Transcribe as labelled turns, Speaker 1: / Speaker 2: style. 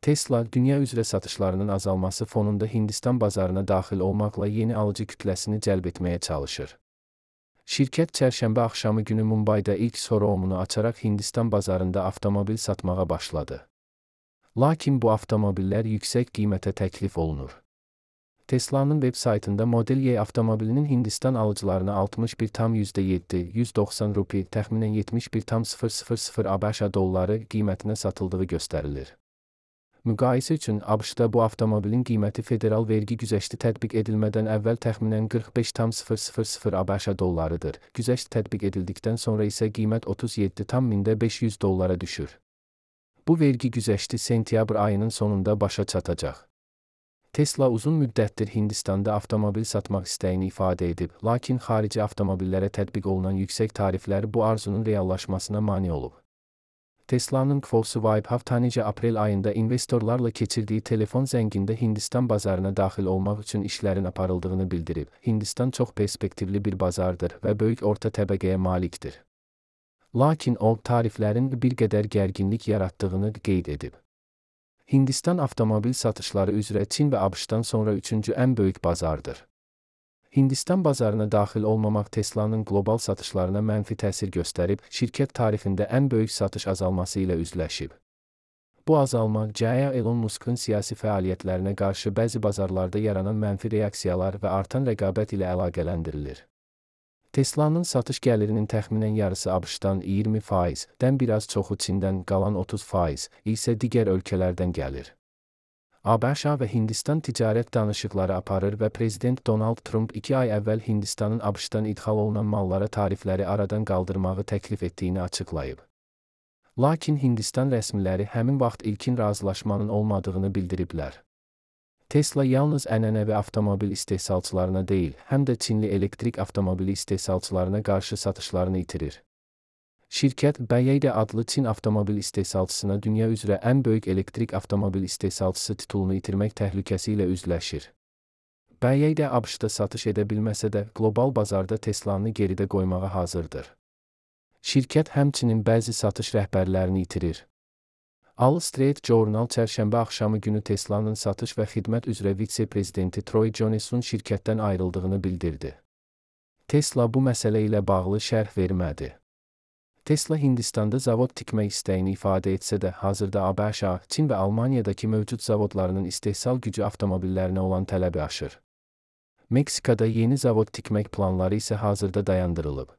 Speaker 1: Tesla, dünya üzrə satışlarının azalması fonunda Hindistan bazarına daxil olmaqla yeni alıcı kütləsini cəlb etməyə çalışır. Şirkət çərşənbə axşamı günü Mumbayda ilk showroomunu açaraq Hindistan bazarında avtomobil satmağa başladı. Lakin bu avtomobillər yüksək qiymətə təklif olunur. Tesla'nın web saytında Model Y avtomobilinin Hindistan alıcılarına 61,7 190 rupi, təxminən 71,000 ABŞ dolları qiymətinə satıldığı göstərilir. Müqayisə üçün ABŞ-da bu avtomobilin qiyməti federal vergi güzəşti tətbiq edilmədən əvvəl təxminən 45,000 ABŞ dollarıdır. Güzəşt tətbiq edildikdən sonra isə qiymət 37,500 dollara düşür. Bu vergi güzəşti sentyabr ayının sonunda başa çatacaq. Tesla uzun müddətdir Hindistanda avtomobil satmaq istəyini ifadə edib, lakin xarici avtomobillərə tətbiq olunan yüksək tariflər bu arzunun reallaşmasına mane olub. Tesla'nın Volkswagen haftanicə aprel ayında investorlarla keçirdiyi telefon zəngində Hindistan bazarına daxil olmaq üçün işlərin aparıldığını bildirib. Hindistan çox perspektivli bir bazardır və böyük orta təbəqəyə malikdir. Lakin o, tariflərin bir qədər gərginlik yaratdığını qeyd edib. Hindistan avtomobil satışları üzrə Çin və ABŞ-dan sonra üçüncü ən böyük bazardır. Hindistan bazarına daxil olmamaq Tesla'nın qlobal satışlarına mənfi təsir göstərib, şirkət tarifində ən böyük satış azalması ilə üzləşib. Bu azalma, Elon Musk'ın siyasi fəaliyyətlərinə qarşı bəzi bazarlarda yaranan mənfi reaksiyalar və artan rəqabət ilə əlaqələndirilir. Tesla'nın satış gəlirinin təxminən yarısı ABŞ-dan 20%-dən biraz çoxu Çindən, qalan 30% isə digər ölkələrdən gəlir. ABŞ və Hindistan ticarət danışıqları aparır və Prezident Donald Trump 2 ay əvvəl Hindistanın ABŞ-dan idxal olunan mallara tarifləri aradan qaldırmağı təklif etdiyini açıqlayıb. Lakin Hindistan rəsmiləri həmin vaxt ilkin razılaşmanın olmadığını bildiriblər. Tesla yalnız ənənəvi avtomobil istehsalçılarına deyil, həm də Çinli elektrik avtomobili istehsalçılarına qarşı satışlarını itirir. Şirkət, BYD adlı Çin avtomobil istehsalçısına dünya üzrə ən böyük elektrik avtomobil istehsalçısı titulunu itirmək təhlükəsi ilə üzləşir. BYD ABŞ-da satış edə bilməsə də, qlobal bazarda Tesla'nı geridə qoymağa hazırdır. Şirkət həmçinin bəzi satış rəhbərlərini itirir. Wall Street Journal çərşənbə axşamı günü Tesla'nın satış və xidmət üzrə vitse-prezidenti Troy Jones'un şirkətdən ayrıldığını bildirdi. Tesla bu məsələ ilə bağlı şərh vermədi. Tesla Hindistanda zavod tikmək istəyini ifadə etsə də, hazırda ABŞ, Çin və Almaniyadakı mövcud zavodlarının istehsal gücü avtomobillərinə olan tələbi aşır. Meksikada yeni zavod tikmək planları isə hazırda dayandırılıb.